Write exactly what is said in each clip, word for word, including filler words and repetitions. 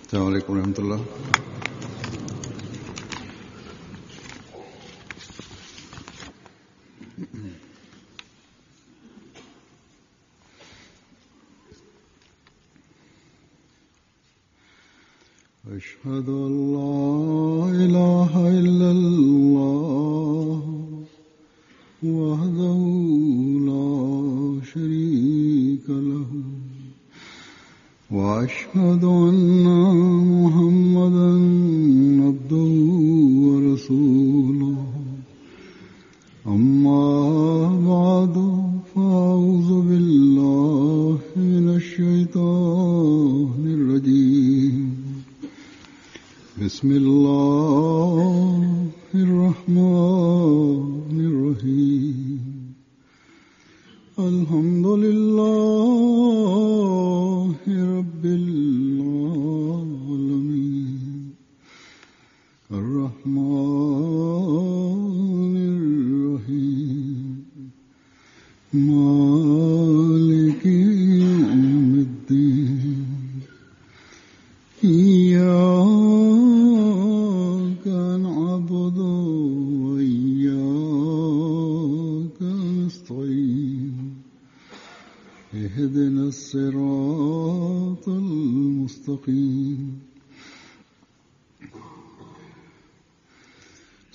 السلام عليكم ورحمة الله. أشهد أن لا إله إلا الله وحده لا شريك له وأشهد أن محمدا عبده ورسوله. أما بعد فأعوذ بالله من الشيطان الرجيم. بسم الله الرحمن الرحيم. الحمد لله رب العالمين الرحمن الرحيم مالك يوم الدين. إياك نعبد وإياك نستعين. اهدنا الصراط المستقيم.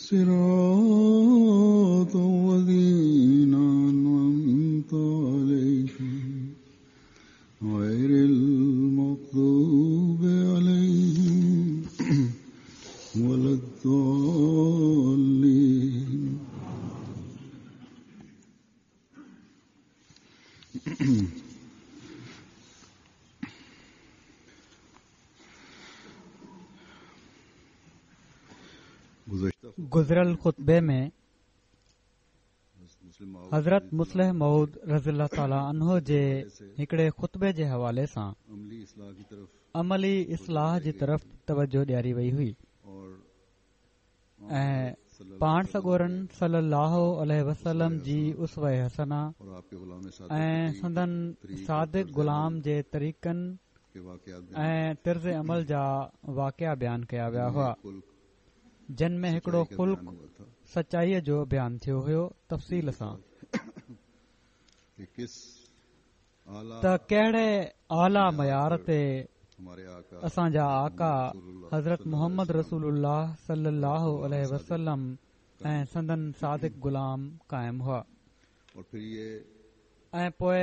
صراط الذين أنعمت عليهم غير المغضوب عليهم ولا الضالين. گذريل خطبي ۾ حضرت مصلح موعود رضي الله تعالٰي عنه جي هڪڙي خطبي جي حوالي سان عملي اصلاح جي طرف توجه ڏياري وئي هئي ۽ پاڻ سڳورن صلي الله عليه وسلم جي اسوه حسنه ۽ سندن صادق غلام جي طريقن ۽ طرز عمل جا واقعا بيان ڪيا ويا هئا، جن ۾ هڪڙو خلق سچائيءَ جو بيان ٿيو هيو تفصيل سان ته ڪهڙي اعليٰ معيار تي اسان جا آقا حضرت محمد رسول الله صلي الله عليه وسلم ۽ سندن صادق غلام قائم هئا. ۽ پوءِ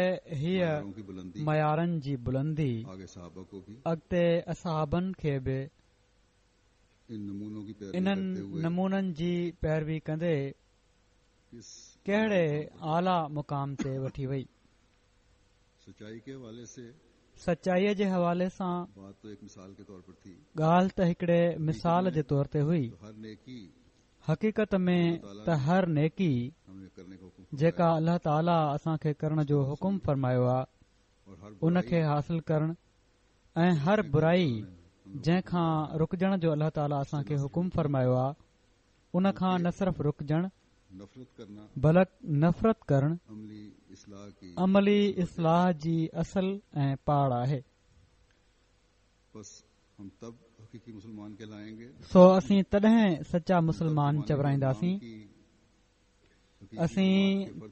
هيءَ معيارن جي بلندي اڳتي اصحابن کي به انهن نمونن جي پيروي ڪندي ڪهڙي اعليٰ مقام تي وٺي وئي. سچائيءَ جي حوالي سان ڳالهه ته هڪڙي مثال جي طور تي هئي. حقيقت ۾ ته هر نيڪي جيڪا الله تعاليٰ اسان کي ڪرڻ جو حڪم فرمايو آهي ان کي حاصل ڪرڻ ۽ هر برائي جنهن کان رڪجڻ جو الله تعاليٰ اسان کي حڪم فرمايو آهي ان کان نه صرف رڪجڻ بلڪ نفرت ڪرڻ عملي اصلاح جي اصل ۽ پاڙ آهي. سو اسين تڏهن سچا مسلمان چورائينداسين، اسين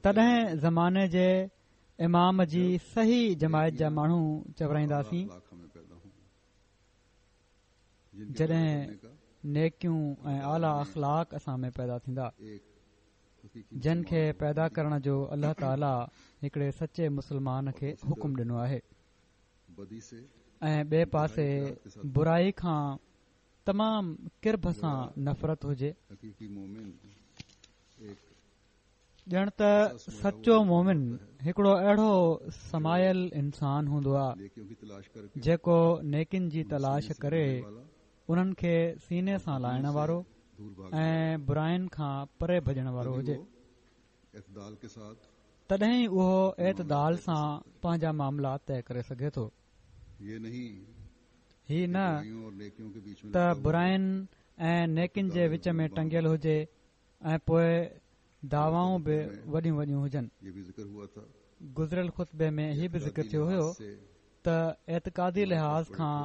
تڏهن زماني جي امام جي صحيح جماعت جا ماڻهو چورائينداسين جڏهن نيڪيون ۽ اعليٰ اخلاق اسان ۾ پيدا ٿيندا، جن کي پيدا ڪرڻ جو الله تعاليٰ هڪڙي سچي مسلمان کي حڪم ڏنو آهي. ۽ ٻئي پاسي برائي کان تمام ڪرب سان نفرت هجي، ڄڻ ته سچو مومن هڪڙو اهڙو سمايل انسان هوندو آهي جيڪو نيڪين جي تلاش ڪري انهن کي سيني سان لائڻ وارو ۽ براين کان پري ڀڄڻ وارو هجي، تڏهن ئي اهو اعتدال سان پنهنجا معاملا طئي ڪري سگهي ٿو. هي نه ته براين ۽ نيڪين جي وچ ۾ ٽنگيل هجي ۽ پوءِ دعوائون به وڏيون وڏيون هجن. گذريل خطبي ۾ هي به ذڪر ٿيو هيو ته اعتقادي لحاظ کان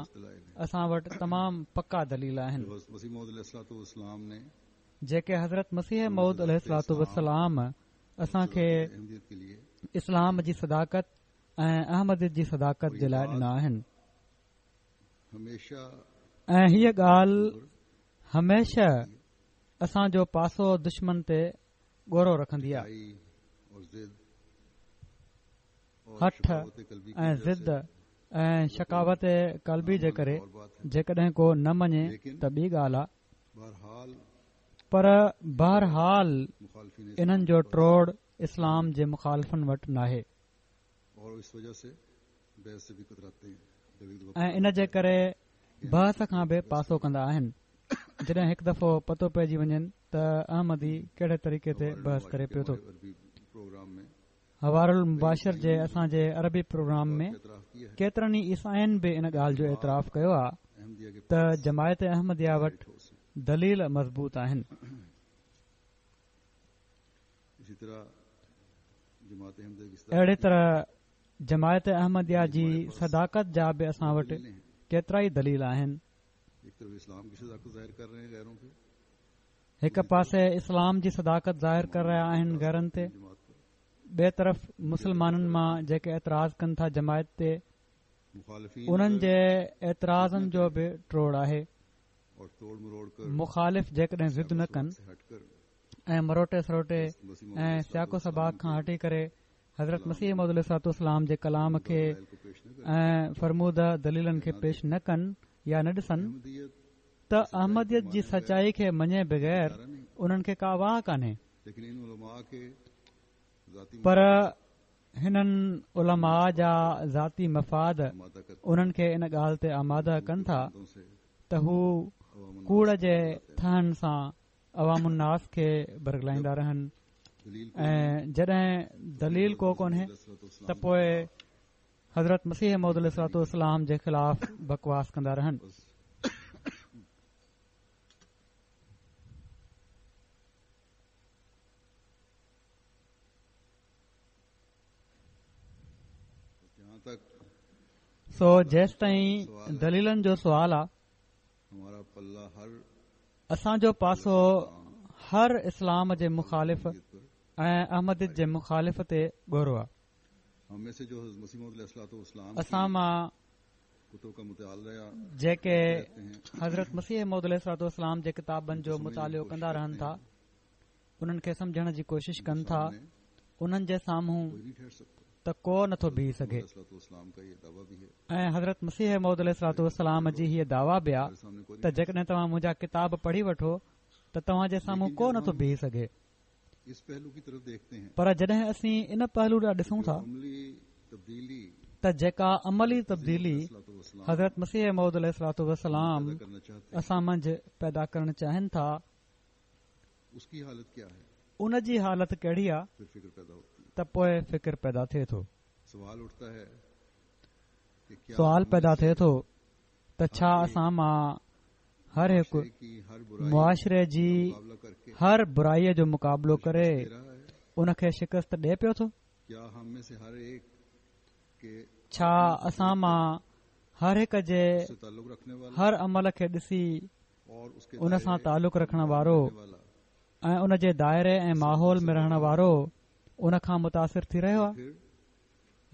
اسان وٽ تمام پڪا دليل آهن، جيڪي حضرت مسيح موعود عليه الصلوة والسلام اسان کي اسلام جي صداقت ۽ احمديت جي صداقت جي لاءِ ڏنا آهن. ۽ هيءَ ڳالهه هميشه اسان جو پاسو دشمن تي ڳورو رکندي آهي. هٺ ۽ ضد ۽ شقاوت قلبي جي ڪري جيڪڏهن ڪو نه مڃي ته ٻي ڳالهه آهي، پر بهرحال انهن جو ٽوڙ اسلام جي مخالفن وٽ ناهي ۽ ان جي ڪري بحث کان به پاسو ڪندا آهن. جڏهن هڪ دفعو پتو پئجي وڃن ته احمدي ڪهڙي طريقي تي بحث ڪري پيو ٿو. حوار المباشر جي اسان جي عربي پروگرام ۾ ڪيترن ئي عيسائين به ان ڳالهه جو اعتراف ڪيو آهي ته جماعت احمديه وٽ دليل مضبوط آهن. اهڙي طرح جماعت احمديه جي صداقت جا به اسان وٽ ڪيترا ئي دليل آهن. هڪ پاسي اسلام جي صداقت ظاهر ڪري رهيا آهن غيرن تي، ٻئي طرف مسلمانن مان جيڪي اعتراض ڪن ٿا جماعت تي، انهن جي اعتراضن جو به ٽوڙ آهي. مخالف جيڪڏهن ضد نه ڪن ۽ مروٽي سروٽي ۽ سياق و سباق کان هٽي ڪري حضرت مسيح موعود عليه الصلوة والسلام جي ڪلام کي ۽ فرموده دليلن کي پيش نه ڪن يا نه ڏسن ته احمديت جي سچائي کي مڃي بغير انهن کي ڪا واهه ڪانهي. پر هنن علماء جا ذاتي مفاد انهن کي ان ڳالهه تي آماده ڪن ٿا ته هو ڪوڙ جي ٿهن سان عوام الناس کي برغلائيندا رهن، ۽ جڏهن دليل ڪو ڪونهي ته پوءِ حضرت مسيح موعود عليه الصلوة والسلام جي خلاف بڪواس ڪندا رهن. سو جيستائين دليلن جو سوال آ، اسان جو پاسو هر اسلام جي مخالف ۽ احمديت جي مخالف تي ڳورو آ. اسان مان جيڪي حضرت مسيح موعود عليه الصلوة والسلام جي ڪتابن جو مطالعو ڪندا رهن ٿا، انهن کي سمجهڻ جي ڪوشش ڪن ٿا، انهن جي سامهون ته ڪو نٿو بيهي سگهي. ۽ حضرت مسيح موعود عليه الصلوة والسلام جي هيءَ دعويٰ به آ ته جيڪڏهن توهان منهنجا ڪتاب پڙهي وٺو ته توهان جي سامهون ڪو نٿو بيهي سگهي. پر جڏهن اسين ان پهلو ڏانهن ڏسون ٿا ته جيڪا عملي تبديلي حضرت مسيح موعود عليه الصلوة والسلام اسان منجهه پيدا ڪرڻ چاهين ٿا، ان جي حالت ڪهڙي آ ته پوءِ فڪر پيدا ٿئي ٿو. سوال پيدا ٿئي ٿو ته ڇا اسان مان هر هڪ معاشري جي هر برائيءَ جو مقابلو ڪري ان کي شڪست ڏئي پيو ٿو؟ ڇا اسان مان هر هڪ جي هر عمل کي ڏسي ان سان تعلق رکڻ وارو ۽ ان جي دائري ۽ ماحول ۾ رهڻ وارو ان کان متاثر ٿي رهيو آهي،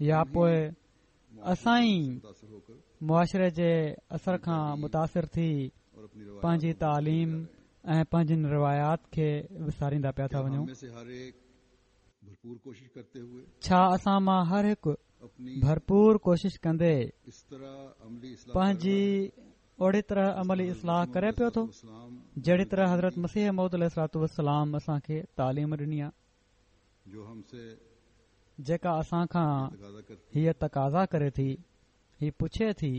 يا پوءِ اسان ئي معاشري جي اثر کان متاثر ٿي پنهنجي تعليم ۽ پنهنجين روايات کي وساريندا پيا ٿا وڃون؟ ڇا اسان مان هر هڪ ڀرپور ڪوشش ڪندي پنهنجي اوڙي طرح عملي اصلاح ڪري پيو ٿو جهڙي طرح حضرت مسيح موعود عليه الصلوة والسلام اسان کي تعليم ڏني آهي، جيڪا اسان کان هيءَ تقاضا ڪري ٿي، هي پڇي ٿي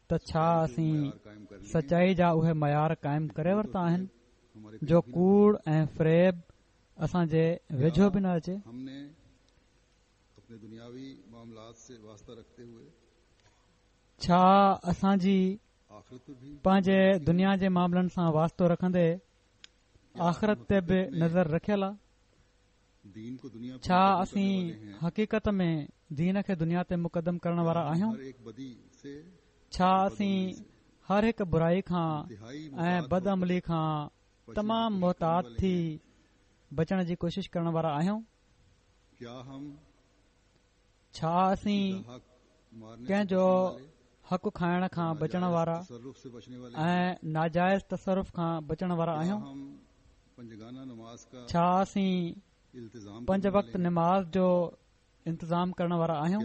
ته ڇا اسين سچائي جا اهي معيار قائم ڪري ورتا آهن جو ڪوڙ ۽ فريب اسان جي ويجهو به نه اچي؟ ڇا اسان جي پنهنجي دنيا جي معاملن سان واسطو رکندي آخرت تي به نظر رکيل آهي؟ ڇا اسين حقيقت ۾ دين کي دنيا تي مقدم ڪرڻ وارا آهيون؟ ڇا اسين هر هڪ برائي کان ۽ بدعملي کان تمام محتاط ٿي بچڻ جي ڪوشش ڪرڻ وارا آهيون؟ ڇا اسين ڪنهن جو حق کائڻ کان بچڻ وارا ۽ ناجائز تصرف کان بچڻ وارا آهيون؟ ڇا اسين پنج وقت نماز جو انتظام ڪرڻ وارا آهيون؟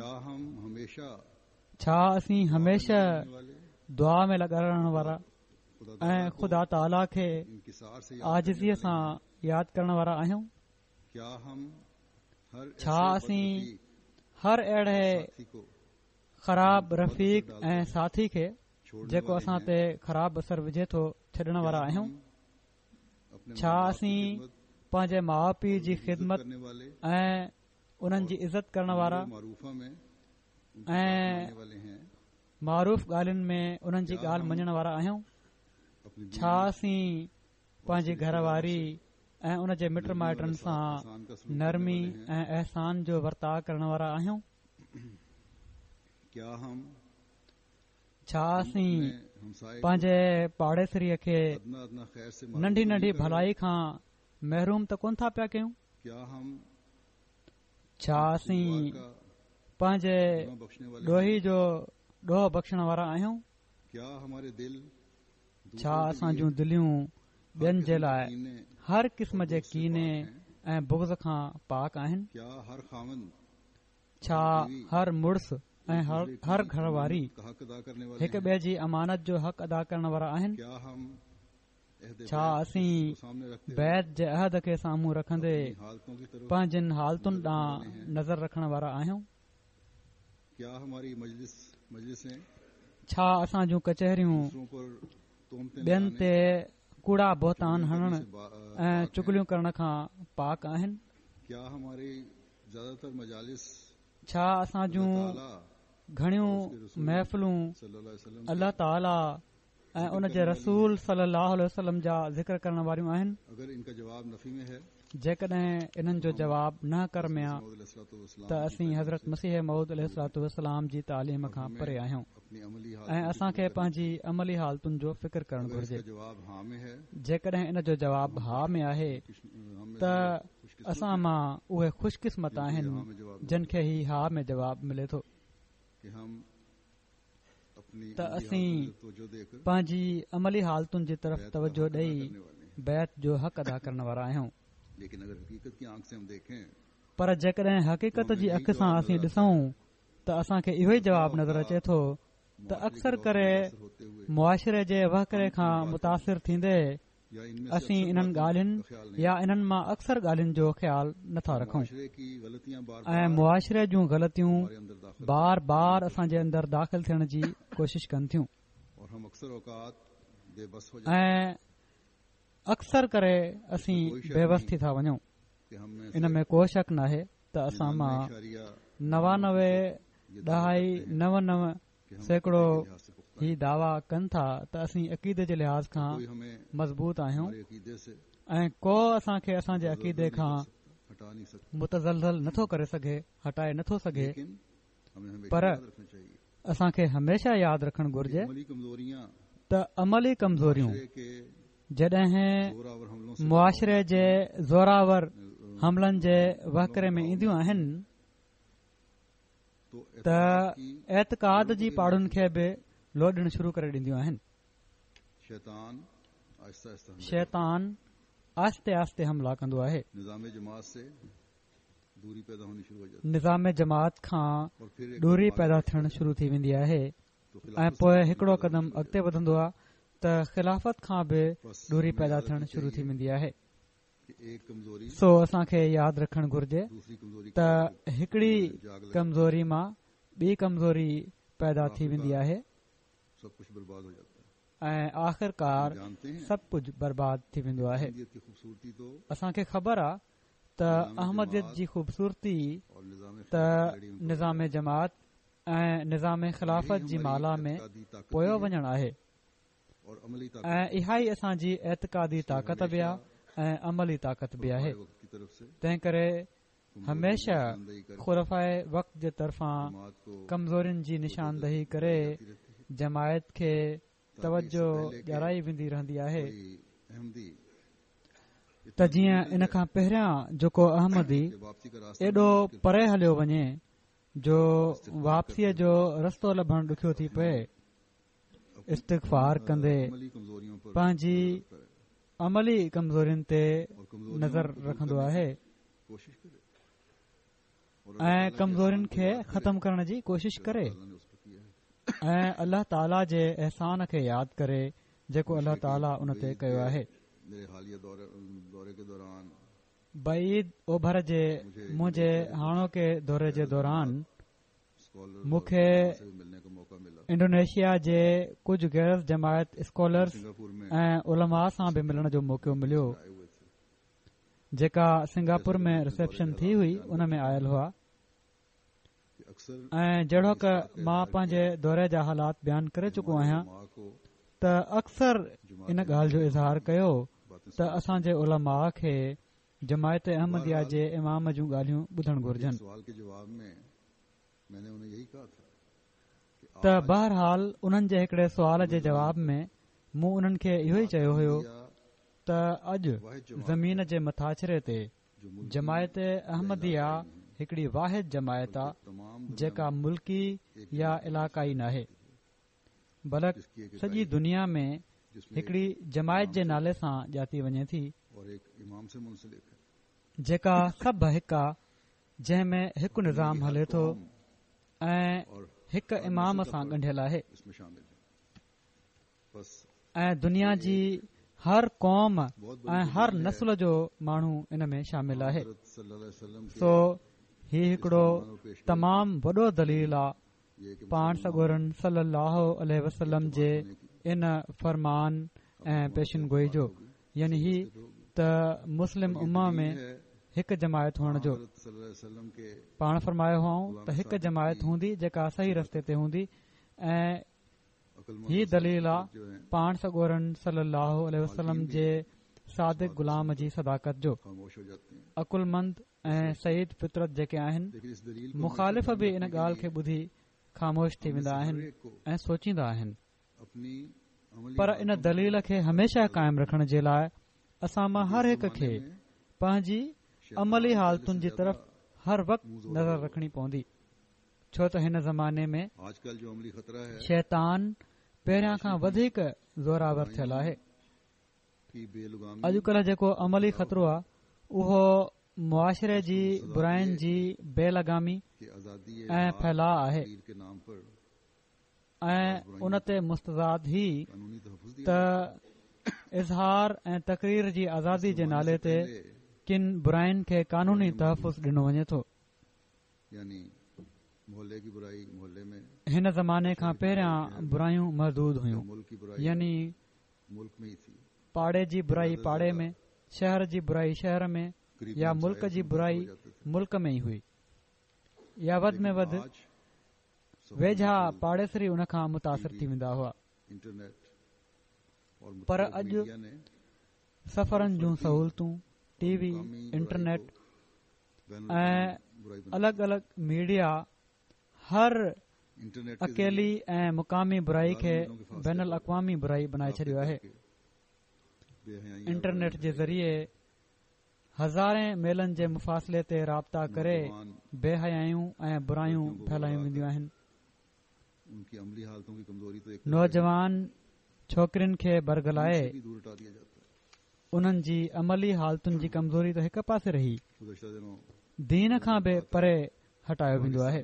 ڇا اسين هميشه دعا ۾ لڳا رهڻ وارا ۽ خدا تعاليٰ کي عاجزيءَ سان ياد ڪرڻ وارا آهيون؟ ڇا اسين هر اهڙي خراب رفيق ۽ ساٿي کي جيڪو اسان تي خراب اثر وجهي ٿو ڇڏڻ وارا آهيون؟ ڇا اسين پنهنجي ماءُ پيءُ جي خدمت ۽ انهن جي عزت ڪرڻ وارا ۽ معروف ڳالهين ۾ انهن جي ڳالهه مڃڻ وارا آهيون؟ ڇا اسين پنهنجي گهر واري ۽ ان جي مٽ مائٽن سان نرمي ۽ احسان جو ورتاءُ ڪرڻ وارا آهيون؟ ڇا اسين پنهنجي پاڙيسريءَ کي ننڍي ننڍي ڀلائي کان محروم ته ڪونه ٿا پيا ڪيون؟ ڇا اسين پنهنجي ڏوهي جو ڏوهه بخشڻ وارا آهيون؟ ڇا اسان جون دليون ٻين جي لاءِ هر قسم جي ڪيني ۽ بغض کان پاڪ آهن؟ ڇا هر مڙس ۽ هر گهر واري هڪ ٻئي جي امانت جو حق ادا ڪرڻ وارا آهن؟ ڇا اسين بيعت جي عهد کي سامهون رکندي پنهنجن حالتن ڏانهن نظر رکڻ وارا آهيون؟ ڇا اسان جون ڪچهريون ٻين تي ڪوڙا بهتان هڻڻ ۽ چغليون ڪرڻ کان پاڪ آهن؟ ڇا اسان جون گهڻيون محفلون الله تعاليٰ ۽ ان جي رسول صلي الله عليه وسلم جا ذڪر ڪرڻ واريون آهن؟ جيڪڏهن انهن جو جواب نه ڪر ۾ آ ته اسين حضرت مسيح موعود عليه الصلوة والسلام جي تعليم کان پري آهيون ۽ اسان کي پنهنجي عملي حالتن جو فڪر ڪرڻ گهرجي. جيڪڏهن ان جو جواب ها ۾ آهي ته اسان مان اهي خوش قسمت آهن جن کي هي ها ۾ جواب ملي ٿو ته اسين پنهنجي عملي حالتن جي طرف توجه ڏئي بيعت جو حق ادا ڪرڻ وارا آهيون. پر جيڪڏهن حقيقت جي اک سان اسين ڏسون ته اسان کي اهو ئي جواب نظر اچي ٿو ته اڪثر ڪري معاشري جي وهڪري کان متاثر ٿيندي اسين انهن ڳالهين يا انهن مان اڪثر ڳالهين جو خيال نٿا رکون ۽ معاشري جون غلطيون بار بار اسان جي اندر داخل ٿيڻ جي ڪوشش ڪن ٿيون ۽ اڪثر ڪري اسين بيوس ٿي ٿا وڃون. ان ۾ ڪو شڪ ناهي ته اسان مان نوانوي ڏهائي نو نو سيڪڙو هي دعويٰ ڪن ٿا ته اسين عقيدي جي لحاظ کان مضبوط آهيون ۽ ڪو اسان کي اسان جي عقيدي کان متزلزل نٿو ڪري سگهي، هٽائي نٿو سگهي. پر اسان کي هميشه ياد رکڻ گهرجي ته عملي ڪمزوريون جڏهن معاشري جي زوراور حملن جي وهڪري ۾ اينديون آهن ته اعتقاد جي پاڙن کي به لوڏڻ شروع ڪري ڏينديون آهن. شيطان آهستي آهستي حملا ڪندو آهي. نظام جماعت کان دوري پيدا ٿيڻ شروع ٿي ويندي آهي ۽ پوءِ هڪڙو قدم اڳتي وڌندو آهي ته خلافت کان به دوري پيدا ٿيڻ شروع ٿي ويندي آهي. سو اسان کي ياد رکڻ گهرجي ته هڪڙي ڪمزوري مان ٻي ڪمزوري پيدا ٿي ويندي آهي ۽ آخرڪار سڀ ڪجهه برباد ٿي ويندو آهي. اسان کي خبر آهي ته احمديت جي خوبصورتي ته نظام جماعت ۽ نظام خلافت جي مالا ۾ پويو وڃڻ آهي ۽ اها ئي اسان جي اعتقادي طاقت به آهي ۽ عملي طاقت به آهي. تنهن ڪري هميشه خلفاءِ وقت جي طرفان ڪمزورين جي نشاندهي ڪري جماعت کي توجه ڏيارائي ويندي رهندي آهي ته جيئن ان کان پهريان جيڪو احمدي ايڏو پري هليو وڃي جو واپسيءَ جو رستو لڀڻ ڏکيو ٿي پئي، استغفار ڪندي پنهنجي عملي ڪمزورين تي نظر رکندو آهي ۽ ڪمزورين کي ختم ڪرڻ جي ڪوشش ڪري ۽ الله تعاليٰ جي احسان کي ياد ڪري جيڪو الله تعاليٰ ان تي ڪيو آهي. بعيد اوڀر جي منهنجي هاڻوڪي دوري جي دوران مون کي انڊونيشيا جي ڪجهه غير جماعت اسڪالرس ۽ علماء سان به ملڻ جو موقعو مليو، جيڪا سنگاپور ۾ رسيپشن ٿي هئي ان ۾ آيل هئا. ۽ جهڙوڪ مان پنهنجي دوري جا حالات بيان ڪري چڪو آهيان ته اڪثر ان ڳالهه جو اظهار ڪيو ته اسان جي علماء کي جماعت احمديه جي امام جون ڳالهيون ٻڌڻ گهرجن. ته بهرحال انهن جي هڪڙي سوال جي جواب ۾ مون انهن کي اهو ئي چيو هيو ته اڄ زمين جي مٿاڇري تي جماعت احمديه هڪڙي واحد جماعت آ جيڪا ملڪي يا علائقائي ناهي، بلڪ سڄي دنيا ۾ هڪڙي جماعت جي نالي سان ڄاتي وڃي ٿي، جيڪا سڀ هڪ آ، جنهن ۾ هڪ نظام هلي ٿو ۽ هڪ امام سان ڳنڍيل آهي ۽ دنيا جي هر قوم ۽ هر نسل جو ماڻهو ان ۾ شامل آهي. سو هي هڪڙو تمام وڏو دليل آ پاڻ سڳورن صلي الله عليه وسلم جي ان فرمان ۽ پيشن گوئي جو، يعني هي ته مسلم امه ۾ هڪ جماعت هئڻ جو. پاڻ فرمايو هئائون ته هڪ جماعت هوندي جيڪا صحيح رستي تي هوندي، ۽ هي دليل آ پاڻ سڳورن صلي الله عليه وسلم جي صادق غلام جي صداقت جو. عقلمند ۽ سعيد فطرت جيڪي آهن، مخالف به ان ڳالهه کي ٻڌي خاموش ٿي ويندا آهن ۽ سوچيندا آهن، پر ان دليل کي هميشه قائم رکڻ جي لاءِ اسان مان هر هڪ کي پنهنجي عملي حالتن جي طرف هر وقت نظر رکڻي پوندي، ڇو ته هن زماني ۾ شيطان پهريان کان وڌيڪ زوراور ٿيل آهي. اڄڪلهه جيڪو عملي خطرو آهي اهو معاشري جي براين جي بي لگامي ۽ ڦهلاءُ آهي، ۽ ان تي مستزاد هي ته اظهار ۽ تقرير جي آزادي جي نالي تي ڪن براين کي قانوني تحفظ ڏنو وڃي ٿو. هن زماني کان پهريان برايون محدود هيون، يعني پاڙي جي برائي پاڙي ۾، شهر جي برائي شهر ۾، يا ملڪ جي برائي ملڪ ۾ ئي هئي، يا وڌ ۾ وڌ ويجها پاڙيسري ان کان متاثر ٿي ويندا هئا. پر اڄ سفرن جون سهولتون، ٽي وي، انٽرنيٽ ۽ الڳ الڳ ميڊيا هر اڪيلي ۽ مقامي برائي کي بين الاقوامي برائي بڻائي ڇڏيو آهي. انٽرنيٽ جي ذريعي هزارين ميلن جي مفاصلي تي رابطا ڪري بي حيايون ۽ برايون ڦهلايون وينديون آهن. نوجوان ڇوڪرين کي برغلائي انهن جي عملي حالتن جي ڪمزوري ته هڪ پاسي رهي، دين کان به پري هٽايو ويندو آهي.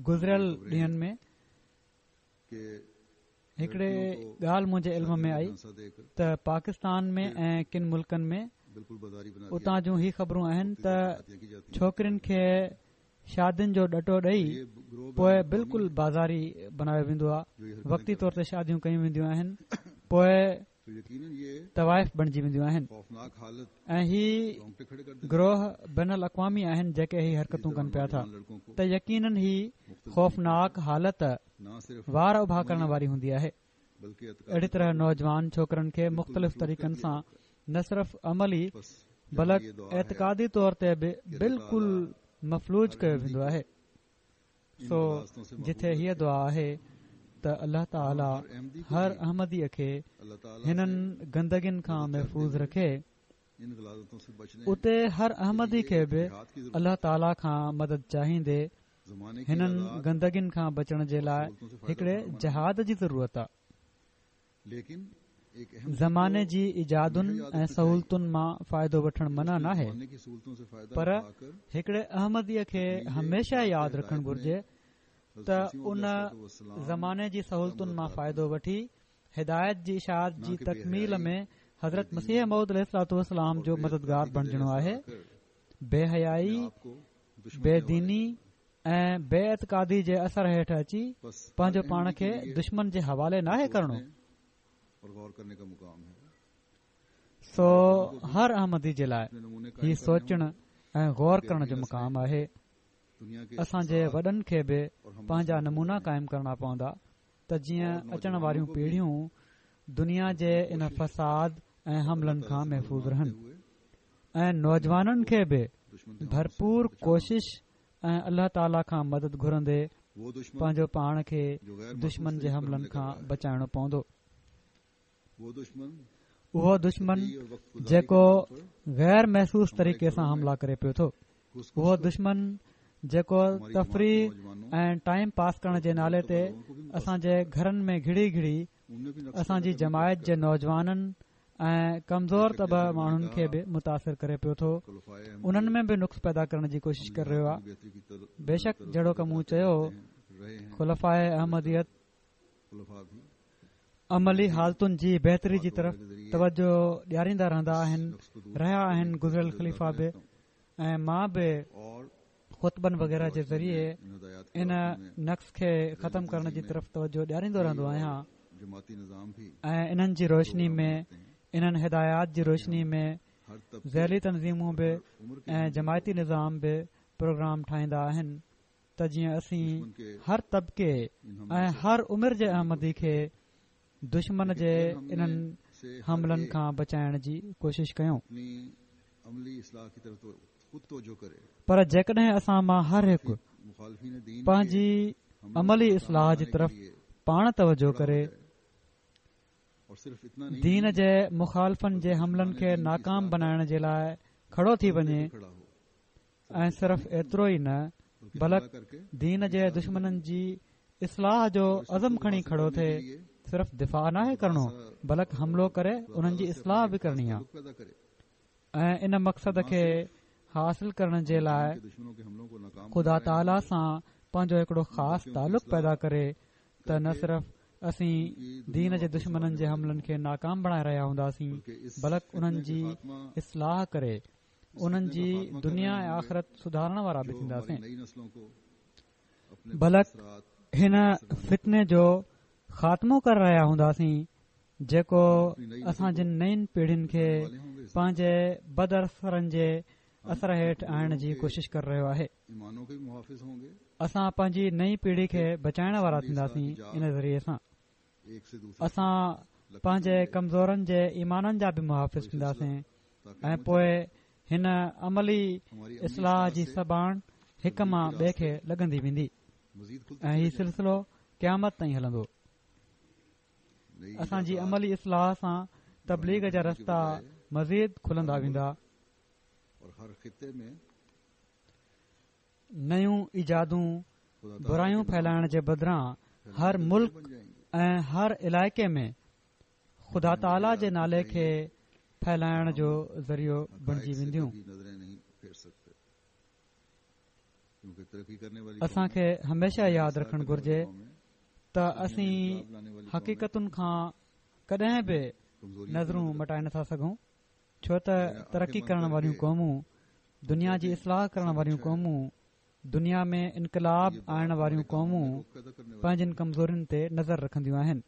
گذريل ڏينهن ۾ هڪڙي ڳالهه منهنجي علم ۾ آئي ته پاڪستان ۾ ۽ ڪن ملڪن ۾ اتان جون هي خبرون آهن ته ڇوڪرين کي شادين جو ڏٽو ڏئي پوءِ بلڪل بازاري بڻايو ويندو آهي، وقتي طور تي شاديون ڪيون وينديون آهن، پوءِ طوائف بڻجي وينديون آهن. ۽ هي گروهه بين الاقوامي آهن جيڪي هي حرڪتون ڪن پيا ٿا، ته يقينن هي خوفناڪ حالت وار اڀا ڪرڻ واري هوندي آهي. اهڙي طرح نوجوان ڇوڪرن کي مختلف طريقن سان نه صرف عملي بلڪ اعتقادي طور تي به بلڪل مفلوج ڪيو ويندو آهي. سو جتي هيءَ دعا آهي ته الله تعاليٰ هر احمديءَ کي هنن گندگين کان محفوظ رکي، اتي هر احمدي کي به الله تعاليٰ کان مدد چاهيندي هنن گندگين کان بچڻ جي لاءِ هڪڙي جهاد جي ضرورت آهي. زماني جي ايجادن ۽ سهولتن مان فائدو وٺڻ منع ناهي، پر هڪڙي احمديءَ کي هميشه ياد رکڻ گهرجي ته ان زماني جي سهولتن مان فائدو وٺي هدايت جي اشاعت جي تڪميل ۾ حضرت مسيح موعود عليه الصلوة والسلام جو مددگار بڻجڻو آهي. بي حيائي، بي ديني ۽ بي اعتقادي جي اثر هيٺ اچي پنهنجو پاڻ کي دشمن جي حوالي ناهي ڪرڻو. سو هر احمدي جي لاءِ هي سوچڻ ۽ غور ڪرڻ جو مقام آهي. اسان جي وڏن کي به پنهنجا نمونا قائم ڪرڻا پوندا ته جيئن اچڻ واريون پيڙهيون دنيا جي ان فساد ۽ حملن کان محفوظ رهن ۽ نوجوانن کي به ڀرپور ڪوشش ۽ الله تعاليٰ کان مدد گهرندي پنهنجو پاڻ کي دشمن جي حملن کان بچائڻو پوندو. اهو دشمن جيڪو غير محسوس طريقي سان حملا ڪري پيو ٿو، اهو دشمن جيڪو تفريح ۽ ٽائيم پاس ڪرڻ جي نالي تي اسان جي گهرن ۾ گهڙي گهڙي اسان جي جماعت جي نوجوانن ۽ ڪمزور طبع ماڻهن کي به متاثر ڪري پيو ٿو، انهن ۾ به نقص پيدا ڪرڻ جي ڪوشش ڪري رهيو آهي. بيشڪ جهڙوڪ مون چيو، خلفاءِ احمديت عملي حالتن جي بهتري جي طرف توجه ڏياريندا رهندا آهن، رهيا آهن گذريل خليفا به، ۽ مان به خطبن وغيره جي ذريعي ان نقص کي ختم ڪرڻ جي طرف توجه ڏياريندو رهندو آهيان ۽ انهن جي روشني ۾ انهن هدايات جي روشني ۾ ذيلي تنظيمون به ۽ جماعتي نظام به پروگرام ٺاهيندا آهن ته جيئن اسين هر طبقي ۽ هر عمر جي احمدي کي دشمن جي انهن حملن کان بچائڻ جي ڪوشش ڪيون. پر جيڪڏهن اسان مان هر هڪ پنهنجي عملي اصلاح جي طرف پاڻ توجه ڪري، دين جي مخالفن جي حملن کي ناڪام بنائڻ جي لاءِ کڙو ٿي وڃي ۽ صرف ايترو ئي نه بلڪ دين جي دشمنن جي اصلاح جو عزم کڻي کڙو ٿئي، صرف دفاع ناهي ڪرڻو بلڪ حملو ڪري انهن جي اصلاح به ڪرڻي آهي ۽ ان مقصد کي حاصل ڪرڻ جي لاءِ خدا تعاليٰ سان پنهنجو هڪڙو خاص تعلق پيدا ڪري ته نه صرف اسين دين جي دشمنن جي حملن کي ناڪام بڻائي رهيا هونداسين بلڪ انهن جي اصلاح ڪري انهن جي دنيا ۽ آخرت سڌارڻ وارا به ٿينداسين، بلڪ هن فتني جو خاتمو ڪري رهيا هونداسين جيڪو اسان جن نئين پيڙهين کي پنهنجي بد اثرن جي اثر هيٺ آڻڻ جي ڪوشش ڪري رهيو آهي. اسان پنهنجي نئين پيڙهي کي بچائڻ وارا ٿينداسين. ان ذريعي سان اسان پنهنجي ڪمزورن جي ايمانن جا به محافظ ٿينداسين ۽ پوءِ هن عملي اصلاح جي سباڻ هڪ مان ٻئي کي لڳندي ويندي ۽ هي سلسلو قيامت تائين هلندو. اسان جي عملي اصلاح سان تبليغ جا رستا مزيد کلندا ويندا، نيون ايجادون برايون ڦهلائڻ جي بدران هر ملڪ ۽ هر علائقي ۾ خدا تعاليٰ جي نالي کي ڦهلائڻ جو ذريعو بڻجي وينديون. اسان کي هميشه ياد رکڻ گهرجي ته اسين حقيقتن کان ڪڏهن به نظرون مٽائي نٿا سگهون، ڇو ته ترقي ڪرڻ واريون قومون، دنيا جي اصلاح ڪرڻ واريون قومون، دنيا ۾ انقلاب آڻڻ واريون قومون پنهنجن ڪمزورين تي نظر رکنديون آهن.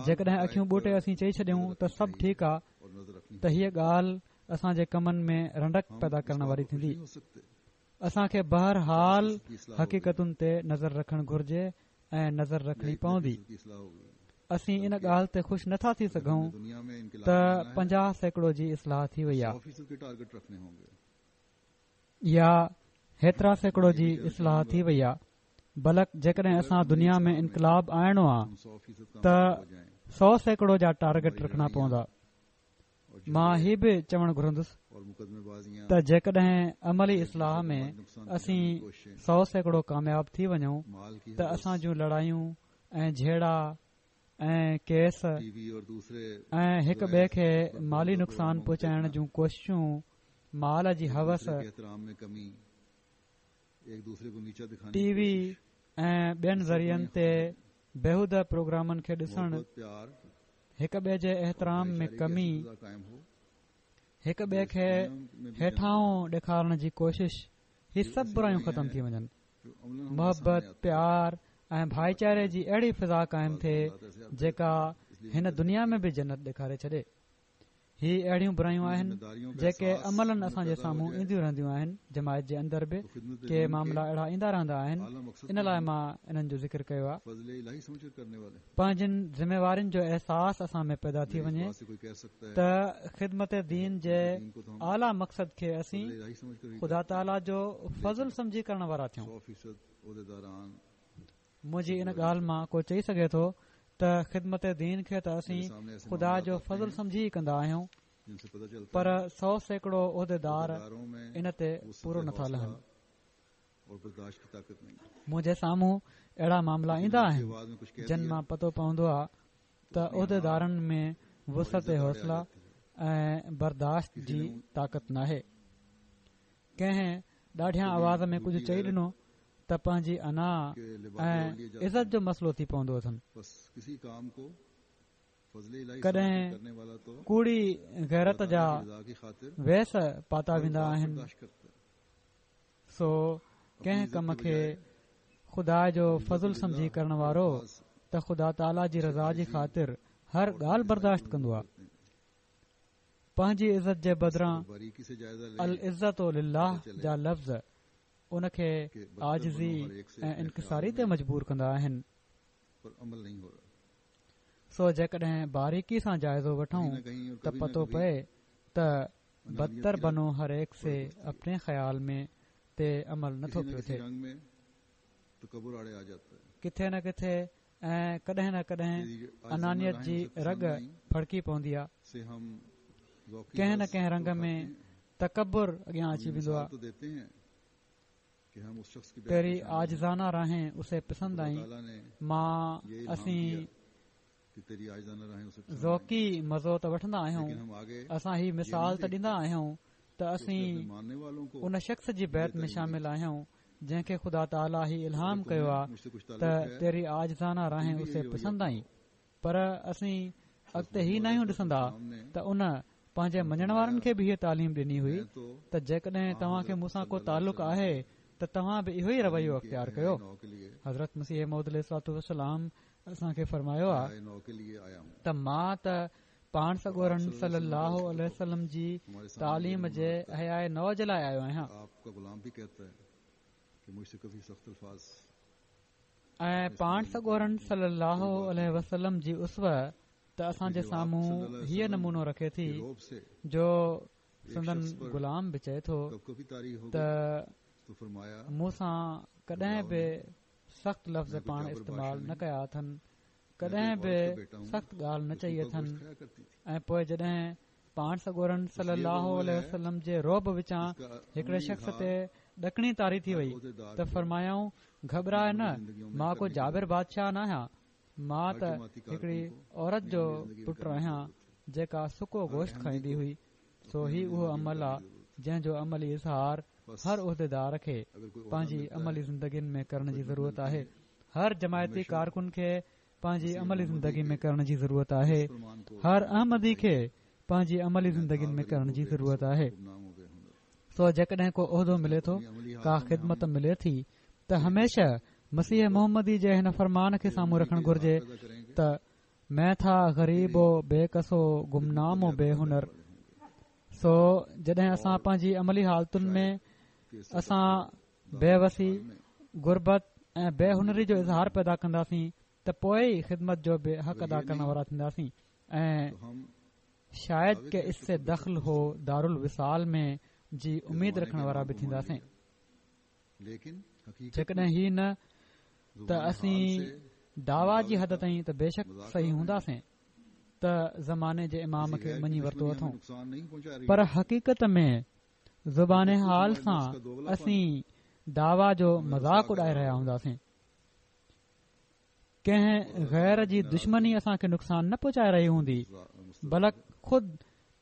جيڪڏهن اکيون ٻوٽي اسين چئي ڇڏيون ته سڀ ٺيڪ آهي ته هيءَ ڳالهه اسان جي ڪمن ۾ رنڊڪ پيدا ڪرڻ واري ٿيندي. اسان کي بهرحال حقيقتن تي نظر رکڻ گهرجي ۽ نظر رکڻي پوندي. اسين ان ڳالهه تي خوش نٿا ٿي سگهون ته پنجاهه سيڪڙو جي اصلاح ٿي وئي آهي يا هيترا سيڪڙو جي اصلاح ٿي وئي آهي، بلڪ جيڪڏهن اسان دنيا ۾ انقلاب آڻڻو آهي ته سؤ سيڪڙو جا ٽارگيٽ رکڻا پوندا. مان هي به چوڻ گهرندس ته جيڪڏهن عملي اصلاح ۾ اسين سؤ سيڪڙو ڪامياب ٿي وڃون ته اسان جون لڙايون ۽ جهيڙا ۽ ڪيس ۽ هڪ ٻئي کي مالي نقصان پهچائڻ جون ڪوششون، مال جي هوس، ٽي وي ۽ ٻين ذريعن تي بيهوده پروگرامن کي ڏسڻ، هڪ ٻئي جي احترام ۾ ڪمي، هڪ ٻئي کي هيٺائون ڏيکارڻ جي ڪوشش، هي سڀ برايون ختم ٿي وڃن. محبت، پيار ۽ ڀائيچاري جي اهڙي فضا قائم ٿئي جيڪا هن دنيا ۾ به جنت ڏيکاري ڇڏي. هي اهڙيون برايون آهن جيڪي عملاً اسان جي سامهون اينديون رهنديون آهن. جماعت جي اندر به ڪي معاملا اهڙا ايندا رهندا آهن، ان لاءِ مان انهن جو ذڪر ڪيو آهي. پنهنجين ذميوارين جو احساس اسان ۾ پيدا ٿي وڃي ته خدمت دين جي اعليٰ مقصد کي اسين خدا تعاليٰ جو فضل سمجهي ڪرڻ وارا ٿيون. منهنجي ان ڳالهه مان ڪو چئي سگهي ٿو ته خدمت دين کي ته اسين خدا جو فضل سمجهي ئي ڪندا آهيون، پر سؤ سيڪڙو عهديدار ان تي پورو نٿا لهن. منهنجي سامهون اهڙا معاملا ايندا آهن جن مان پتو پوندو آهي ته عهديدارن ۾ وسعت حوصله ۽ برداشت جي طاقت ناهي. ڪنهن ڏاڍيان آواز ۾ ڪجهه چئي ڏنو ته پنهنجي انا ۽ عزت جو مسئلو ٿي پوندو اٿن. ڪڏهن ڪوڙي غيرت جا ويس پاتا ويندا آهن. سو ڪنهن ڪم کي خدا جو فضل سمجهي ڪرڻ وارو ته خدا تعاليٰ جي رضا جي خاطر هر ڳالهه برداشت ڪندو آهي. پنهنجي عزت جي بدران العزت لله جا لفظ ان کي عاجزي ۽ انڪساري تي مجبور ڪندا آهن. سو جيڪڏهن باريڪي سان جائزو وٺون ته پتو پئي ته بدتر بنو هر ايڪ سي اپني خيال ۾ تي عمل نٿو پيو ٿئي. ڪٿي نه ڪٿي ۽ ڪڏهن نه ڪڏهن انانيت جي رڳ ڦڙڪي پوندي آهي. ڪنهن نه ڪنهن رنگ ۾ تڪبر اڳيان اچي ويندو آهي. تيري عاجزانه راهين اسي پسند آئين، مان اسين ذوقي مزو ته وٺندا آهيون، اسان هي مثال ته ڏيندا آهيون ته اسين ان شخص جي بيعت ۾ شامل آهيون جنهن کي خدا تعاليٰ هي الهام ڪيو آهي ته تيري عاجزانه راهين اسي پسند آئين، پر اسين اڳتي هي ناهيون ڏسندا ته ان پنهنجي مڃڻ وارن کي به هيءَ تعليم ڏني هئي ته جيڪڏهن توهان کي مون سان ڪو تعلق آهي ته توهان به اهو ئي رويو اختيار ڪيو. حضرت مسيح موعود عليه الصلوة والسلام اسان کي فرمايو آهي ته مان ته پاڻ سڳورن صلي الله عليه وسلم جي تعليم جي احياء نو جي لاءِ آيو آهيان ۽ پاڻ سڳورن صلي الله عليه وسلم جي اسوه ته اسان جي سامهون هيءَ نمونو رکي ٿي جو سندن غلام به چئي ٿو ته مون سان ڪڏهن به سخت لفظ پاڻ استعمال نه ڪيا اٿن، ڪڏهن به سخت ڳالهه نه چئي اٿن. ۽ پوءِ جڏهن پاڻ سڳورن صلي الله عليه وسلم جي رعب وچان هڪڙي شخص تي ڏڪڻي طاري ٿي وئي ته فرمايائون، گهٻراءِ نه، مان ڪو جابر بادشاهه نه آهيان، مان ته هڪڙي عورت جو پٽ آهيان جيڪا سڪو گوشت کائيندي هئي. سو هي اهو عمل آهي جنهن جو عملي اظهار هر عهديدار کي پنهنجي عملي زندگين ۾ ڪرڻ جي ضرورت آهي. هر جماعتي ڪارڪن کي پنهنجي عملي زندگي ۾ ڪرڻ جي ضرورت آهي. هر احمدي کي پنهنجي عملي زندگين ۾ ڪرڻ جي ضرورت آهي. سو جيڪڏهن ڪو عهدو ملي ٿو، ڪا خدمت ملي ٿي ته هميشه مسيح محمدي جي هن فرمان کي سامهون رکڻ گهرجي ته مين ٿا غريب و بي ڪس و گمنام و بي هنر. سو جڏهن اسان پنهنجي عملي حالتن ۾ اسان بي وسي، غربت ۽ بي هنري جو اظهار پيدا ڪنداسين ته پوءِ ئي خدمت جو به حق ادا ڪرڻ وارا ٿينداسين ۽ شايد ڪه اس سي دخل هو دارالوصال ۾ جي اميد رکڻ وارا به ٿينداسين. جيڪڏهن هي نه ته اسين دعويٰ جي حد تائين ته بيشڪ صحيح هونداسين ته زماني جي امام کي مڃي ورتو اٿئون، پر حقيقت ۾ زبان حال سان اسين دعويٰ جو مذاق اڏائي رهيا هونداسين. ڪنهن غير جي دشمني اسان کي نقصان نه پهچائي رهي هوندي، بلڪ خود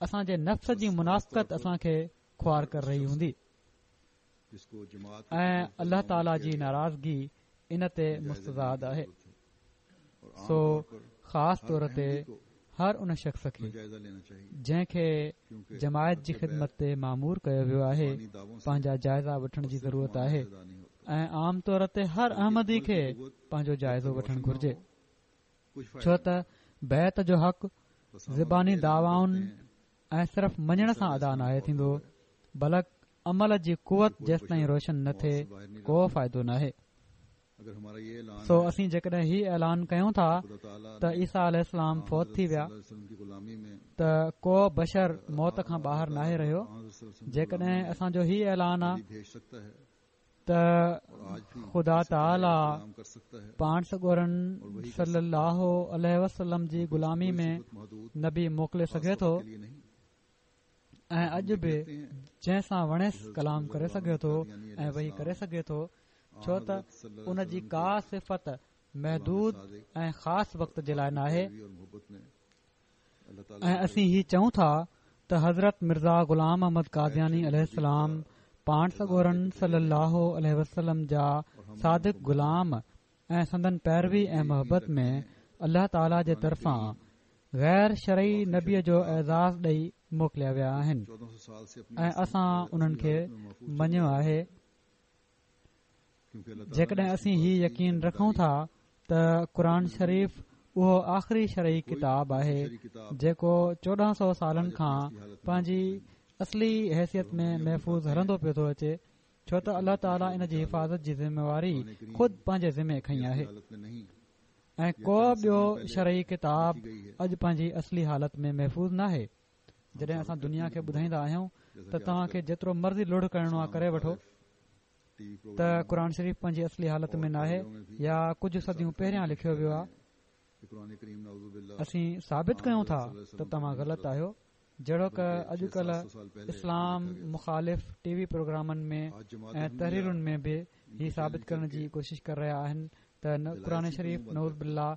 اسان جي نفس جي منافقت اسان کي خوار ڪري رهي هوندي ۽ الله تعاليٰ جي ناراضگي ان تي مستزاد آهي. سو خاص طور تي هر ان شخص کي جنهن کي جماعت جي خدمت تي مامور ڪيو ويو آهي پنهنجا جائزا وٺڻ جي ضرورت آهي ۽ عام طور تي هر احمدي کي پنهنجو جائزو وٺڻ گهرجي، ڇو ته بيعت جو حق زباني دعوائن ۽ صرف مڃڻ سان ادا ناهي ٿيندو، بلڪ عمل جي قوت جيستائين روشن نه ٿئي ڪو فائدو ناهي. سو اسين جيڪڏهن هي اعلان ڪيون ٿا ته عيسيٰ عليه السلام فوت ٿي ويا ته ڪو بشر موت کان ٻاهر ناهي رهيو. جيڪڏهن اسان جو هي اعلان آ ته خدا تعاليٰ پاڻ سڳورن صلي الله عليه وسلم جي غلامي ۾ نبي موڪلي سگهي ٿو ۽ اڄ به جنهن سان وڻيس ڪلام ڪري سگهي ٿو ۽ وحي ڪري سگهي ٿو، ڇو ته ان جي ڪا صفت محدود ۽ خاص وقت جي لاءِ ناهي. ۽ اسين هي چئون ٿا ته حضرت مرزا غلام احمد قادياني عليه السلام پاڻ سڳورن صلي الله عليه وسلم جا صادق غلام ۽ سندن پيروي ۽ محبت ۾ الله تعاليٰ جي طرفان غير شرعي نبيء جو اعزاز ڏئي موڪليا ويا آهن ۽ اسان انهن کي مڃيو آهي. جيڪڏهن اسين هي يقين رکون ٿا ته قرآن شريف اهو آخري شرعي ڪتاب آهي جيڪو چوڏهن سؤ سالن کان پنهنجي اصلي حيثيت ۾ محفوظ هلندو پيو ٿو اچي، ڇو ته الله تعاليٰ ان جي حفاظت جي ذميواري خود پنهنجي ذمي کنئي آهي ۽ ڪو ٻيو شرعي ڪتاب اڄ پنهنجي اصلي حالت ۾ محفوظ ناهي. جڏهن اسان دنيا کي ٻڌائيندا آهيون ته توهان کي جيترو مرضي لڙ ڪرڻو آهي ڪري وٺو ته قرآن شريف پنهنجي اصلي حالت ۾ ناهي يا ڪجهه صديون پهريان لکيو ويو آهي، اسين ثابت ڪيون ٿا ته توهان غلط آهيو. جهڙوڪ اڄڪلهه اسلام مخالف ٽي وي پروگرامن ۾ ۽ تحريرن ۾ به هي ثابت ڪرڻ جي ڪوشش ڪري رهيا آهن ته قرآن شريف نعوذ بالله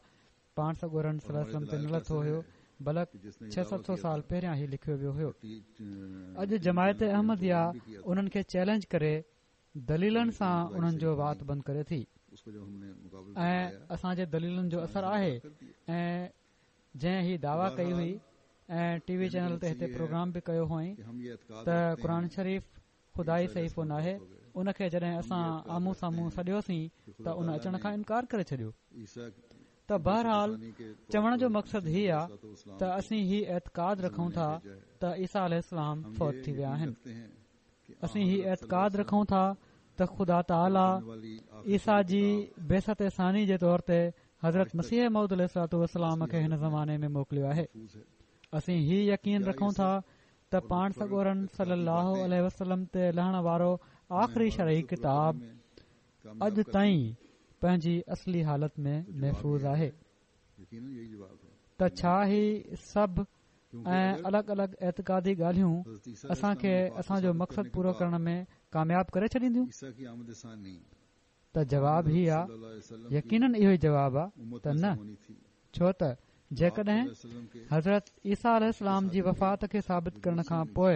پاڻ سڳورن صلي الله عليه وسلم تي نه لٿو هيو، بلڪ ڇهه ست سؤ سال پهريان هي لکيو ويو هيو. اڄ جماعت احمديه انهن کي چئلينج ڪري دليلن سان انهن جو وات بند ڪري ٿي ۽ اسان جي دليلن جو اثر آهي. ۽ جنهن هي دعويٰ ڪئي هئي ۽ ٽي وي چينل تي هتي پروگرام به ڪيو هئائين ته قرآن شريف خدائي صحيفو ناهي، ان کي جڏهن اسان آمهون سامهون سڏيوسين ته ان اچڻ کان انڪار ڪري ڇڏيو. ته بهرحال چوڻ جو مقصد هي آ ته اسين هي اعتقاد رکون ٿا ته عيسيٰ عليه السلام فوت ٿي ويا آهن. اسين هي اعتقاد رکون ٿا ته خدا تعاليٰ عيسيٰ جي بعثت ثاني جي طور تي حضرت مسيح موعود عليه الصلوة والسلام کي هن زماني ۾ موڪليو آهي. اسين هي يقين رکون ٿا ته پاڻ سڳورن صلي الله عليه وسلم تي لهڻ وارو آخري شرعي ڪتاب اڄ تائين پنهنجي اصلي حالت ۾ محفوظ آهي. ته ڇا هي سڀ ۽ الڳ الڳ اعتقادي ڳالهيون اسان کي اسان جو مقصد پورو ڪرڻ ۾ ڪامياب ڪري ڇڏينديون؟ ته جواب هي آ، يقينن اهو ئي جواب آ ته نه، ڇو ته جيڪڏهن حضرت عيسيٰ عليه السلام جي وفات کي ثابت ڪرڻ کان پوءِ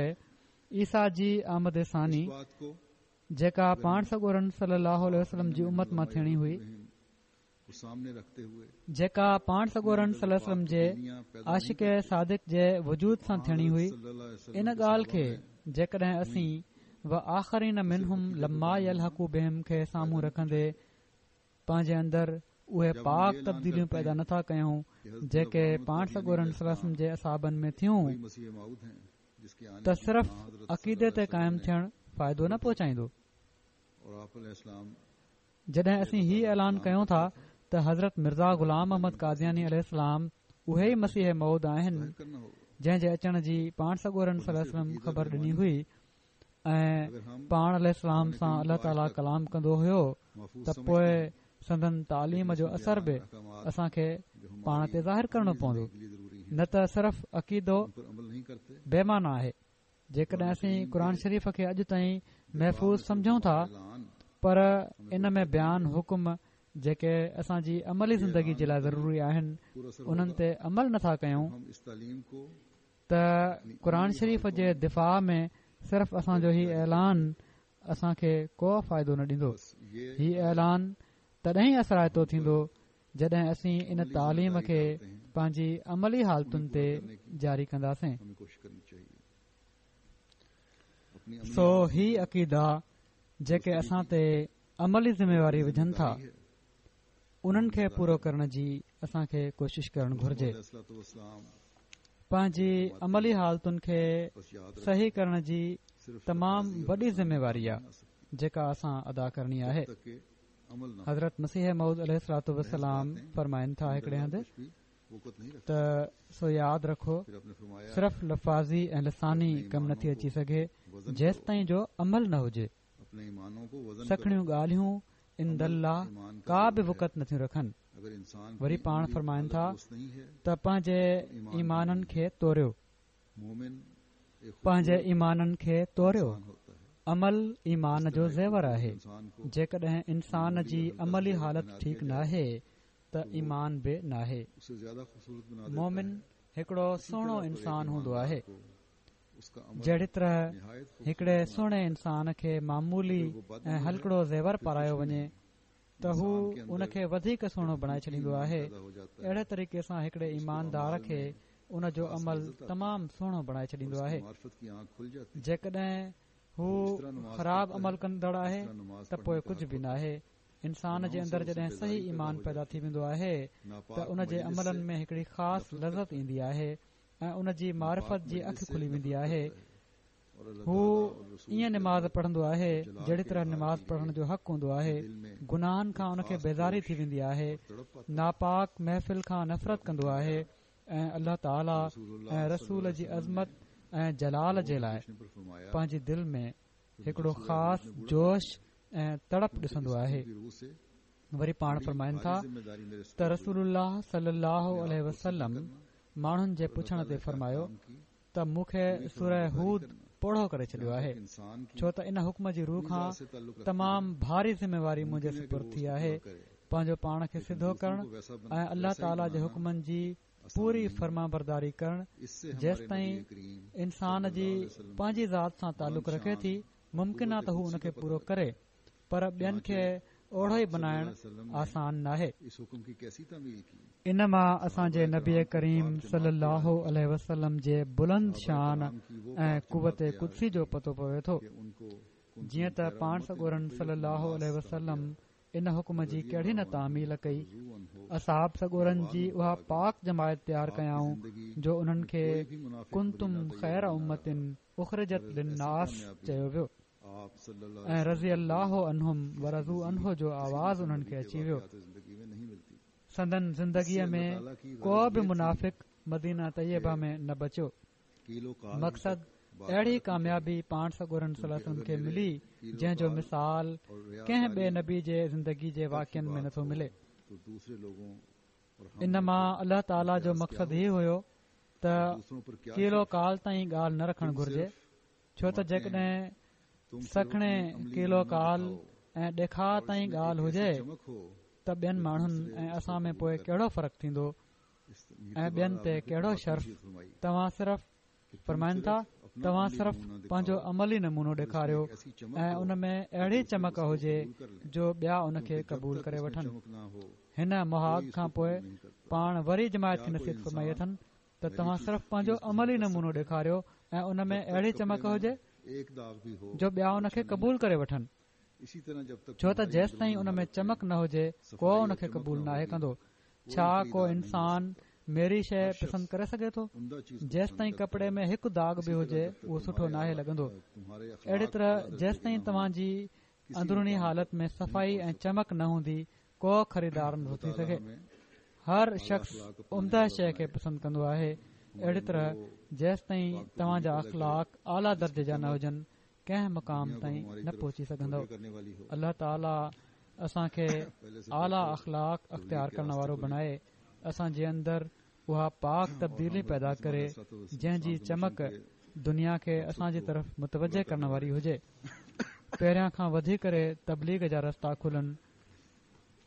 عيسيٰ جي آمد ثاني جيڪا پاڻ سڳورن صلي الله عليه وسلم جي امت مان ٿيڻي هئي، جيڪا پاڻ سڳورن صلي الله عليه وسلم جي عاشق صادق جي وجود سان ٿيڻي هئي، ان ڳالهه کي جيڪڏهن اسين و آخرين منهم لما يلحقوا بهم کي سامهون رکندي پنهنجي اندر اهي پاڪ تبديليون پيدا نٿا ڪيون جيڪي پاڻ سڳورن صلي الله عليه وسلم جي اصحابن ۾ ٿيون، ته صرف عقيدي تي قائم ٿيڻ فائدو نه پهچائيندو. جڏهن اسين هي اعلان ڪيون ٿا ته حضرت مرزا غلام احمد قادياني عليه السلام اهي ئي مسيح موعود آهن جنهن جي اچڻ جي پاڻ سڳورن صلي الله عليه وسلم خبر ڏني هئي ۽ پاڻ عليه السلام سان الله تعاليٰ ڪلام ڪندو هيو ته پوءِ سندن تعليم جو اثر به اسان کي پاڻ تي ظاهر ڪرڻو پوندو، نه ته صرف عقيدو بي معنيٰ آهي. جيڪڏهن اسين قرآن شريف کي اڄ تائين محفوظ سمجهون ٿا پر ان ۾ بيان حڪم جيڪي اسان جي عملي زندگي جي لاءِ ضروري آهن انهن تي عمل نٿا ڪيون ته قرآن شريف جي دفاع ۾ صرف اسان جو هي اعلان اسان کي ڪو فائدو نه ڏيندو. هي اعلان تڏهن ئي اثرائتو ٿيندو جڏهن اسين ان تعليم کي پنهنجي عملي حالتن تي جاري ڪنداسين. سو هي عقيدا جيڪي اسان تي عملي ذميواري وجهن ٿا انهن کي پورو ڪرڻ جي اسان کي ڪوشش ڪرڻ گهرجي. پنهنجي عملي حالتن کي صحيح ڪرڻ جي تمام وڏي ذميواري آهي جيڪا اسان ادا ڪرڻي آهي. حضرت مسيح موعود عليه الصلوة والسلام فرمائن ٿا هڪڙي هنڌ ته سو ياد رکو صرف لفاظي ۽ لساني ڪم نٿي اچي سگهي جيستائين جو عمل نه هجي. سکڻيون ڳالهيون عند الله ڪا به وقعت نٿيون رکن. وري پاڻ فرمائن ٿا ته پنهنجي ايمانن کي توريو، پنهنجي ايمانن کي توريو. عمل ايمان جو زيور آهي. جيڪڏهن انسان جي عملي حالت ٺيڪ ناهي ته ايمان به ناهي. مومن هڪڙو سهڻو انسان هوندو آهي. جهڙي طرح هڪڙي سهڻي انسان کي معمولي ۽ هلڪڙو زيور پارايو وڃي ته هو ان کي وڌيڪ سهڻو بڻائي ڇڏيندو آهي، اهڙي طريقي سان هڪڙي ايماندار کي ان جو عمل تمام سهڻو بڻائي ڇڏيندو آهي. جيڪڏهن هو خراب عمل ڪندڙ آهي ته پوءِ ڪجهه به ناهي. انسان جي اندر جڏهن صحيح ايمان پيدا ٿي ويندو آهي ته ان جي عملن ۾ هڪڙي خاص لذت ايندي آهي ۽ ان جي معرفت جي اک کلي ويندي آهي. هو ائين نماز پڙهندو آهي جهڙي طرح نماز پڙهڻ جو حق هوندو آهي. گناهن کان ان کي بيزاري ٿي ويندي آهي، ناپاڪ محفل کان نفرت ڪندو آهي ۽ الله تعاليٰ ۽ رسول جي عظمت ۽ جلال جي لاءِ پنهنجي دل ۾ هڪڙو خاص جوش ۽ تڙپ ڏسندو آهي. وري پاڻ فرمائن ٿا ته رسول الله صلي الله عليه وسلم ماڻهن جي پڇڻ تي فرمايو ته مون کي سوره هود پوڙهو ڪري ڇڏيو آهي، ڇو ته ان حڪم جي روح کان تمام ڀاري ذميواري منهنجي سپرد ٿي آهي. پنهنجو پاڻ کي سڌو ڪرڻ ۽ الله تعاليٰ جي حڪمن جي پوري فرمانبرداري ڪرڻ جيستائين انسان جي پنهنجي ذات سان تعلق رکي ٿي ممڪن آهي ته هو ان کي پورو ڪري، پر ٻين کي اوڙو ئي بنائڻ آسان ناهي. ان مان اسان جي نبي ڪريم صلي الله عليه وسلم جي بلند شان ۽ قوت قدسي جو پتو پوي ٿو. جيئن ته پاڻ سڳورن صلي الله عليه وسلم ان حڪم جي ڪهڙي نه تعميل ڪئي. اصحاب سڳورن جي اها پاڪ جماعت تيار ڪيائون جو انهن کي ڪنتم خير امة اخرجت للناس چيو ويو ۽ رضي الله عنهم ورضوا عنه جو آواز انهن کي اچي ويو. سندن زندگيءَ ۾ ڪو به منافق مدينه طيبه ۾ نه بچيو. مقصد اهڙي ڪاميابي پاڻ سڳورن صلي الله عليه وسلم کي ملي جنهن جو مثال ڪنهن ٻئي نبي جي زندگي جي واقعن ۾ نٿو ملي. ان مان الله تعاليٰ جو مقصد هي هيو ته قيل و قال تائين ڳالهه نه رکڻ گهرجي، ڇو ته جيڪڏهن سکڻي قيل و قال ۽ ڏيکاءُ تائين ڳالهه هجي ته ٻين ماڻهن ۽ اسان ۾ پوءِ ڪهڙو فرق ٿيندو ۽ ٻين تي ڪهڙو شرف. توهان صرف فرمائن ٿا توهان صرف پنهنجو عملي نمونو ڏيکاريو ۽ ان ۾ اهڙي چمڪ هجي جو ٻيا ان کي قبول ڪري وٺن. هن مهاڳ کان پوءِ پاڻ وري جماعت کي نصيحت فرمائي اٿن ته توهان صرف پنهنجو عملي نمونو ڏيکاريو ۽ ان ۾ اهڙي چمڪ هجي جو ٻيا ان کي قبول ڪري وٺن، ڇو ته جيستائين ان ۾ چمڪ نه هجي ڪو ان کي قبول ناهي ڪندو. ڇا ڪو انسان ميري شيءِ پسند ڪري سگهي ٿو؟ جيستائين ڪپڙي ۾ هڪ داغ به هجي اهو سٺو ناهي لڳندو. اهڙي طرح جيستائين توهان جي اندروني حالت ۾ صفائي ۽ چمڪ نه هوندي ڪو خريدار نٿو ٿي سگهي. هر شخص عمده شيء کي پسند ڪندو آهي. اهڙي طرح جيستائين توهان جا اخلاق اعليٰ درجي جا نه هجن، ڪنهن مقام تائين نه پهچي سگهندؤ. الله تعاليٰ اسان کي اعليٰ اخلاق اختيار ڪرڻ وارو بڻائي، اسان جي اندر اها پاڪ تبديلي پيدا ڪري جنهن جي چمڪ دنيا کي اسان جي طرف متوجه ڪرڻ واري هجي. پهريان کان وڌي ڪري تبليغ جا رستا کلن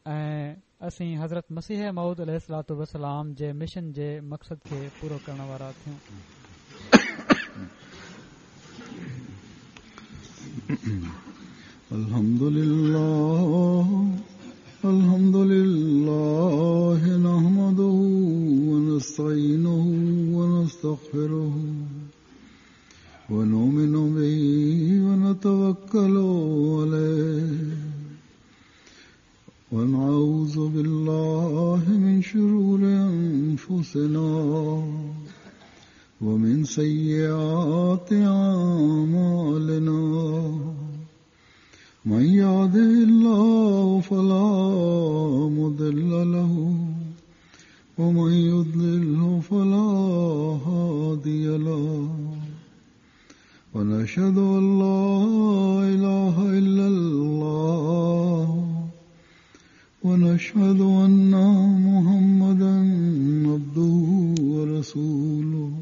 ۽ اسين حضرت مسيح موعود عليه الصلوة والسلام جي مشن جي مقصد کي پورو ڪرڻ وارا ٿيون. الحمد لله الحمد لله نحمده ونستعينه ونستغفره ونؤمن به ونتوكل عليه ونعوذ بالله من شرور أنفسنا ومن سيئات أعمالنا من يهده الله فلا مضل له ومن يضلله فلا هادي له ونشهد أن لا إله إلا الله ونشهد أن محمدا عبده ورسوله.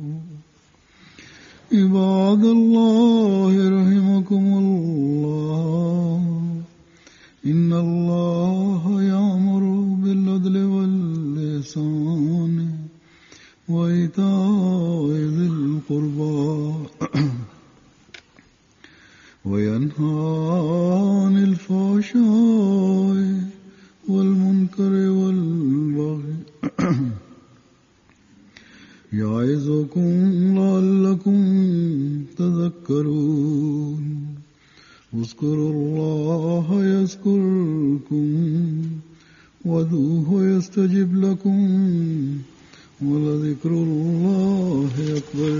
عباد الله رحمكم الله، إن الله يأمر بالعدل والإحسان وإيتاء ذي القربى وينهى عن الفحشاء والمنكر والبغي يعظكم لعلكم تذكرون. اذكروا الله يذكركم وادعوه يستجب لكم ولذكر الله أكبر.